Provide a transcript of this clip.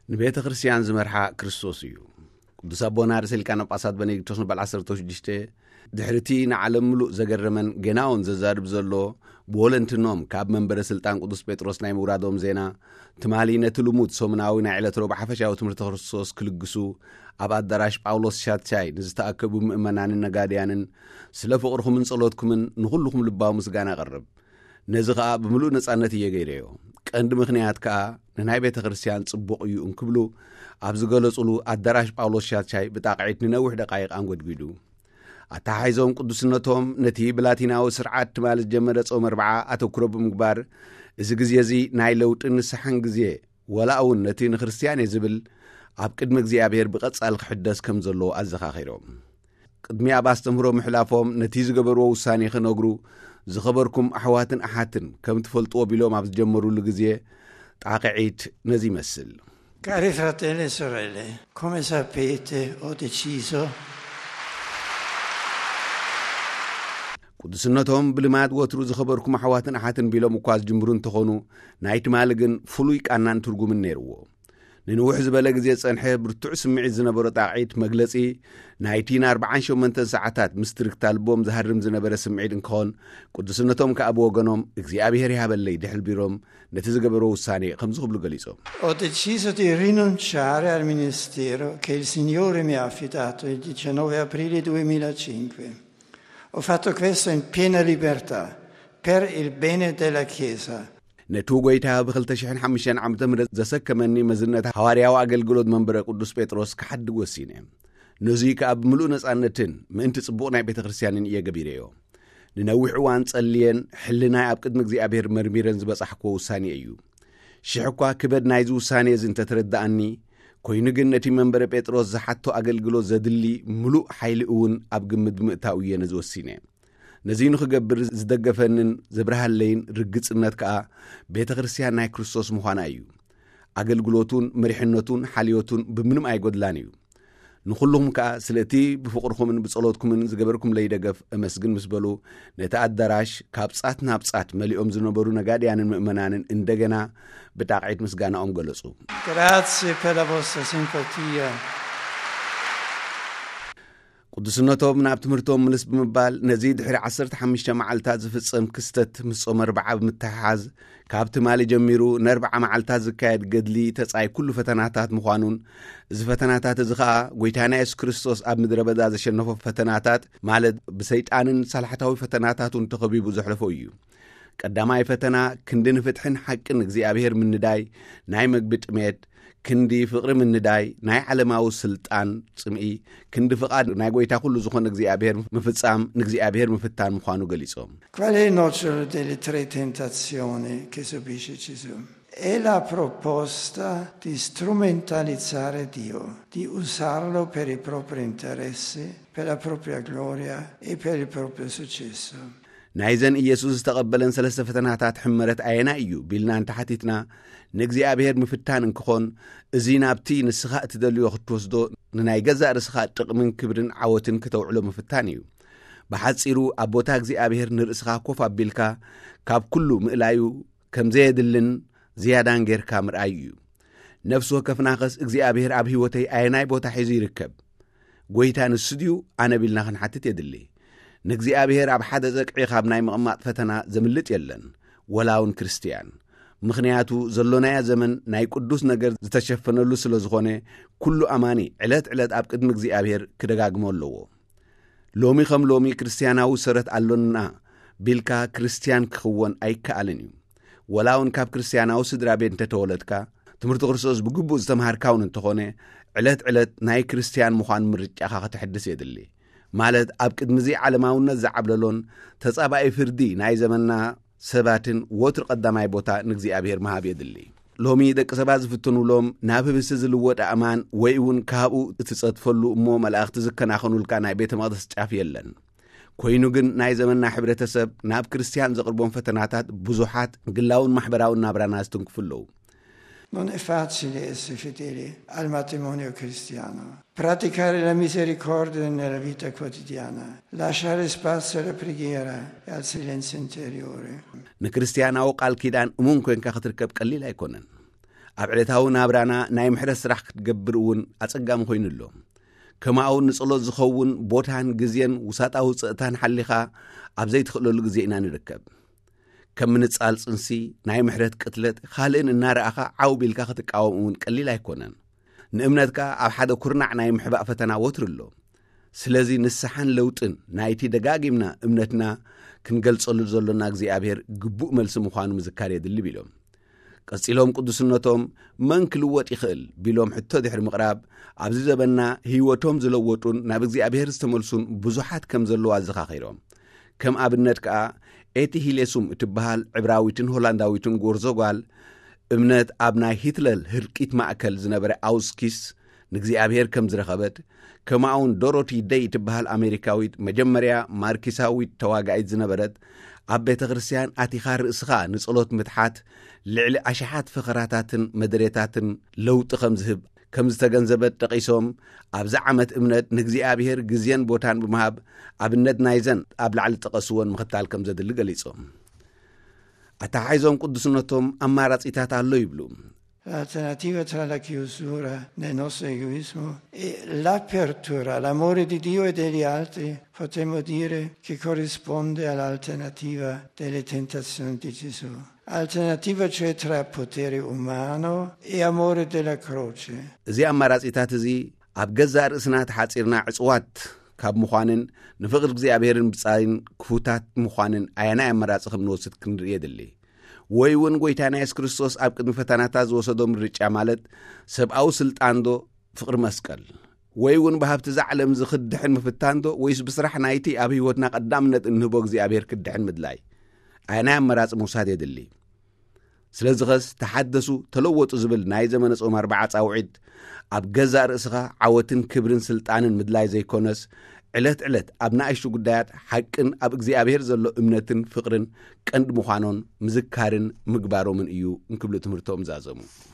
ንቤተ ክርስቲያን ዝመርሓ ክርስቶስ እዩ። ቅዱስ ኣቦና ርእሰ ሊቃነ ጳጳሳት በኔዲክቶስ ንበል ዓሰርተ ሽዱሽተ፣ ድሕሪ እቲ ንዓለም ምሉእ ዘገረመን ጌና እውን ዘዛርብ ዘሎ፣ ብወለንትኖም ካብ መንበረ ስልጣን ቅዱስ ጴጥሮስ ናይ ምውራዶም ዜና፣ ትማሊ ነቲ ልሙድ ሰሙናዊ ናይ ዕለት ረቡዕ ሓፈሻዊ ትምህርቲ ክርስቶስ ክልግሱ ኣብ ኣዳራሽ ጳውሎስ ሻቻይ ንዝተኣከቡ ምእመናንን ነጋድያንን፣ ስለ ፍቕርኹምን ጸሎትኩምን ንኹልኹም ልባዊ ምስጋና ኣቐርብ። ነዚ ኸኣ ብምሉእ ነጻነት እየ ገይረዮ። ቀንዲ ምኽንያት ከኣ ንናይ ቤተ ክርስቲያን ጽቡቕ እዩ እንክብሉ ኣብ ዝገለጹሉ፣ ኣዳራሽ ጳውሎስ ሻቻይ ብጣቕዒት ንነዊሕ ደቃይቕ ኣንጎድጒዱ። ኣተሓሒዞም ቅዱስነቶም ነቲ ብላቲናዊ ስርዓት ትማሊ ዝጀመረ ጾም ኣርብዓ ኣተኩሮ ብምግባር፣ እዚ ግዜ እዚ ናይ ለውጥን ንስሓን ግዜ፣ ወላ እውን ነቲ ንክርስትያን እየ ዝብል ኣብ ቅድሚ እግዚኣብሔር ብቐጻሊ ክሕደስ ከም ዘለዎ ኣዘኻኺሮም። ቅድሚ ኣብ ኣስተምህሮ ምሕላፎም ነቲ ዝገበርዎ ውሳኔ ክነግሩ፣ ዝኸበርኩም ኣሕዋትን ኣሓትን ከም ትፈልጥዎ ቢሎም ኣብ ዝጀመሩሉ ግዜ፣ ጣቕዒት ነዚ ይመስል። Cari fratelli e sorelle, come sapete, ho deciso ቅዱስነቶም ብልማድ ወትሩ ዝኸበርኩም ኣሕዋትን ኣሓትን ቢሎም እኳ ዝጅምሩ እንተኾኑ፣ ናይ ትማሊ ግን ፍሉይ ቃናን ትርጉምን ነይርዎ። ንንውሕ ዝበለ ግዜ ዝጸንሐ ብርቱዕ ስምዒት ዝነበሮ ጣቕዒት መግለጺ ናይቲ ንኣርብዓን ሸሞንተን ሰዓታት ምስ ትርግታ ልቦም ዝሃርም ዝነበረ ስምዒት እንክኾን፣ ቅዱስነቶም ከኣ ብወገኖም እግዚኣብሔር ይሃበለይ ድሕል ቢሮም ነቲ ዝገበርዎ ውሳኔ ከምዚ ክብሉ ገሊጾም። Ho deciso di rinunciare al ministero che il Signore mi ha affidato il diciannove aprile duemilacinque. Ho fatto questo in piena libertà, per il bene della Chiesa. ነቲ ጎይታ ብ ክልተ ሽሕን ሓሙሽተን ዓመተ ምህረት ዘሰከመኒ መዝነት ሃዋርያዊ ኣገልግሎት መንበረ ቅዱስ ጴጥሮስ ክሓድግ ወሲነ። ነዙይ ከኣ ብምሉእ ነጻነትን ምእንቲ ጽቡቕ ናይ ቤተ ክርስቲያንን እየ ገቢረዮ። ንነዊሕ እዋን ጸልየን ሕልናይ ኣብ ቅድሚ እግዚኣብሔር መርሚረን ዝበጻሕክዎ ውሳኔ እዩ። ሽሕ እኳ ክበድ ናይዚ ውሳኔ እዚ እንተተረድኣኒ፣ ኮይኑ ግን ነቲ መንበረ ጴጥሮስ ዝሓቶ ኣገልግሎት ዘድሊ ምሉእ ሓይሊ እውን ኣብ ግምት ብምእታው እየ ነዚ ወሲነ። ነዚ ንኽገብር ዝደገፈንን ዘብርሃለይን ርግጽነት ከኣ ቤተ ክርስቲያን ናይ ክርስቶስ ምዃና እዩ። ኣገልግሎቱን መሪሕነቱን ሓልዮቱን ብምንም ኣይጎድላን እዩ። ንኹልኹም ከኣ ስለ እቲ ብፍቕርኹምን ብጸሎትኩምን ዝገበርኩምለይ ደገፍ እመስግን ምስ በሉ፣ ነቲ ኣዳራሽ ካብ ጻት ናብ ጻት መሊኦም ዝነበሩ ነጋድያንን ምእመናንን እንደገና ብጣቕዒት ምስጋናኦም ገለጹ። Grazie per la vostra simpatia. ቅዱስነቶም ናብ ትምህርቶም ምልስ ብምባል፣ ነዚ ድሕሪ ዓሰርተ ሓሙሽተ መዓልታት ዝፍጸም ክስተት ምስ ጾመ ኣርብዓ ብምትሕሓዝ፣ ካብ ትማሊ ጀሚሩ ንኣርብዓ መዓልታት ዝካየድ ገድሊ ተጻይ ኩሉ ፈተናታት ምዃኑን፣ እዚ ፈተናታት እዚ ኸኣ ጎይታና የሱስ ክርስቶስ ኣብ ምድረ በዳ ዘሸነፎ ፈተናታት፣ ማለት ብሰይጣንን ሳልሓታዊ ፈተናታቱን ተኸቢቡ ዘሕለፎ እዩ። ቀዳማይ ፈተና ክንዲ ንፍትሕን ሓቅን እግዚኣብሔር ምንዳይ፣ ናይ መግቢ ጥሜት፣ ክንዲ ፍቕሪ ምንዳይ፣ ናይ ዓለማዊ ስልጣን ጽምኢ፣ ክንዲ ፍቓድ ናይ ጎይታ ኩሉ ዝኾነ እግዚኣብሔር ምፍጻም፣ ንእግዚኣብሔር ምፍታን ምዃኑ ገሊጾም። Qual è il nocciolo delle tre tentazioni che subisce Gesù? È la proposta di strumentalizzare Dio, di usarlo per i propri interessi, per la propria gloria e per il proprio successo. ናይዘን ኢየሱስ ዝተቐበለን ሰለስተ ፈተናታት ሕመረት ኣየናይ እዩ ቢልና እንተሓቲትና፣ ንእግዚኣብሔር ምፍታን እንክኾን፣ እዚ ናብቲ ንስኻ እትደልዮ ክትወስዶ፣ ንናይ ገዛእ ርእስኻ ጥቕምን ክብርን ዓወትን ክተውዕሎ ምፍታን እዩ። ብሓጺሩ፣ ኣብ ቦታ እግዚኣብሔር ንርእስኻ ኮፍ ኣቢልካ፣ ካብ ኩሉ ምእላዩ ከም ዘየድልን ዝያዳን ጌርካ ምርኣዩ እዩ። ነፍሲ ወከፍናኸስ እግዚኣብሔር ኣብ ህይወተይ ኣየናይ ቦታ ሒዙ ይርከብ? ጎይታ ንሱ ድዩ ኣነ ቢልና ክንሓትት የድሊ። ንእግዚኣብሔር ኣብ ሓደ ዘቅዒ ካብ ናይ ምቕማጥ ፈተና ዘምልጥ የለን፣ ወላ እውን ክርስትያን። ምኽንያቱ ዘሎናያ ዘመን ናይ ቅዱስ ነገር ዝተሸፈነሉ ስለ ዝኾነ፣ ኩሉ ኣማኒ ዕለት ዕለት ኣብ ቅድሚ እግዚኣብሔር ክደጋግሞ ኣለዎ። ሎሚ ከም ሎሚ ክርስትያናዊ ሰረት ኣሎና ቢልካ ክርስትያን ክኽወን ኣይከኣልን እዩ። ወላ እውን ካብ ክርስትያናዊ ስድራ ቤት እንተተወለድካ፣ ትምህርቲ ክርስቶስ ብግቡእ ዝተምሃርካ እውን እንተኾነ፣ ዕለት ዕለት ናይ ክርስትያን ምዃን ምርጫኻ ከተሕድስ የድሊ። ማለት ኣብ ቅድሚ እዚ ዓለማውነት ዝዓብለሎን ተጻባኢ ፍርዲ ናይ ዘመንና ሰባትን ወትሩ ቀዳማይ ቦታ ንእግዚኣብሔር ምሃብ የድሊ። ሎሚ ደቂ ሰባት ዝፍትኑሎም ናብ ህብስቲ ዝልወጥ ኣእማን ወይ እውን ካብኡ እትጸድፈሉ እሞ መላእኽቲ ዝከናኸኑልካ ናይ ቤተ መቕደስ ጫፍ የለን። ኮይኑ ግን ናይ ዘመንና ሕብረተሰብ ናብ ክርስትያን ዘቕርቦም ፈተናታት ብዙሓት ግላውን ማሕበራውን ናብራና ዝትንክፉ ኣለዉ። Non è facile essere fedeli al matrimonio cristiano, praticare la misericordia nella vita quotidiana, lasciare spazio alla preghiera e al silenzio interiore. ንክርስትያናዊ ቃል ኪዳን እሙን ኮንካ ክትርከብ ቀሊል ኣይኮነን። ኣብ ዕለታዊ ናብራና ናይ ምሕረት ስራሕ ክትገብር እውን ኣጸጋሚ ኮይኑ ኣሎ። ከማኡ ንጸሎት ዝኸውን ቦታን ግዜን ውሳጣዊ ጽእታን ሓሊኻ ኣብ ዘይትኽእለሉ ግዜ ኢና ንርከብ። ከም ምንጻል ጽንሲ፣ ናይ ምሕረት ቅትለት፣ ካልእን እናረኣኻ ዓው ቢልካ ክትቃወም እውን ቀሊል ኣይኮነን። ንእምነትካ ኣብ ሓደ ኩርናዕ ናይ ምሕባእ ፈተና ወትሩ ኣሎ። ስለዚ ንስሓን ለውጥን ናይቲ ደጋጊምና እምነትና ክንገልጸሉ ዘሎና እግዚኣብሔር ግቡእ መልሲ ምዃኑ ምዝካር የድሊ ቢሎም። ቀጺሎም ቅዱስነቶም መን ክልወጥ ይኽእል ቢሎም ሕቶ ድሕሪ ምቕራብ፣ ኣብዚ ዘበንና ህይወቶም ዝለወጡን ናብ እግዚኣብሔር ዝተመልሱን ብዙሓት ከም ዘለዉ ኣዘኻኺሮም። ከም ኣብነት ከኣ ኤቲ ሂሌሱም እትበሃል ዕብራዊትን ሆላንዳዊትን ጎርዞ ጓል እምነት ኣብ ናይ ሂትለር ህልቂት ማእከል ዝነበረ ኣውስኪስ ንእግዚኣብሔር ከም ዝረኸበት፣ ከማኡውን ዶሮቲ ደይ እትበሃል ኣሜሪካዊት መጀመርያ ማርኪሳዊት ተዋጋኢት ዝነበረት፣ ኣብ ቤተ ክርስቲያን ኣቲኻ ርእስኻ ንጸሎት ምትሓት ልዕሊ ኣሽሓት ፈኸራታትን መደሬታትን ለውጢ ከም ዝህብ ከም ዝተገንዘበት ጠቒሶም፣ ኣብዚ ዓመት እምነት ንእግዚኣብሔር ግዜን ቦታን ብምሃብ ኣብነት ናይዘን ኣብ ላዕሊ ዝጠቐስወን ምኽታል ከም ዘድሊ ገሊጾም። ኣተሓሒዞም ቅዱስነቶም ኣማራጺታት ኣሎ ይብሉ። L'alternativa tra la chiusura nel nostro egoismo e l'apertura all'amore di Dio e degli altri, potremmo dire che corrisponde all'alternativa delle tentazioni di Gesù. Alternativa cioè tra potere umano e amore della croce. እዚ ኣማራጺታት እዚ ኣብ ገዛእ ርእስና ተሓጺርና ዕጽዋት ካብ ምዃንን ንፍቕሪ እግዚኣብሔርን ብጻይን ክፉታት ምዃንን ኣየናይ ኣማራጺ ከም ንወስድ ክንርኢ የድሊ። ወይ እውን ጎይታና የሱስ ክርስቶስ ኣብ ቅድሚ ፈተናታት ዝወሰዶ ምርጫ ማለት ሰብኣዊ ስልጣን ዶ ፍቕሪ መስቀል ወይ እውን ብሃብቲ እዛ ዓለም እዚ ክድሕን ምፍታን ዶ ወይስ ብስራሕ ናይቲ ኣብ ህይወትና ቀዳምነት እንህቦ እግዚኣብሔር ክድሕን ምድላይ? ኣየናይ ኣመራጺ ምውሳድ የድሊ? ስለዚኸስ ተሓደሱ ተለወጡ ዝብል ናይ ዘመነ ጾም ኣርብዓ ጻውዒት ኣብ ገዛእ ርእስኻ ዓወትን ክብርን ስልጣንን ምድላይ ዘይኮነስ ዕለት ዕለት ኣብ ንኣሽቱ ጉዳያት ሓቅን ኣብ እግዚኣብሔር ዘሎ እምነትን ፍቕርን ቀንዲ ምዃኖን ምዝካርን ምግባሮምን እዩ እንክብሉ ትምህርቶም ዛዘሙ።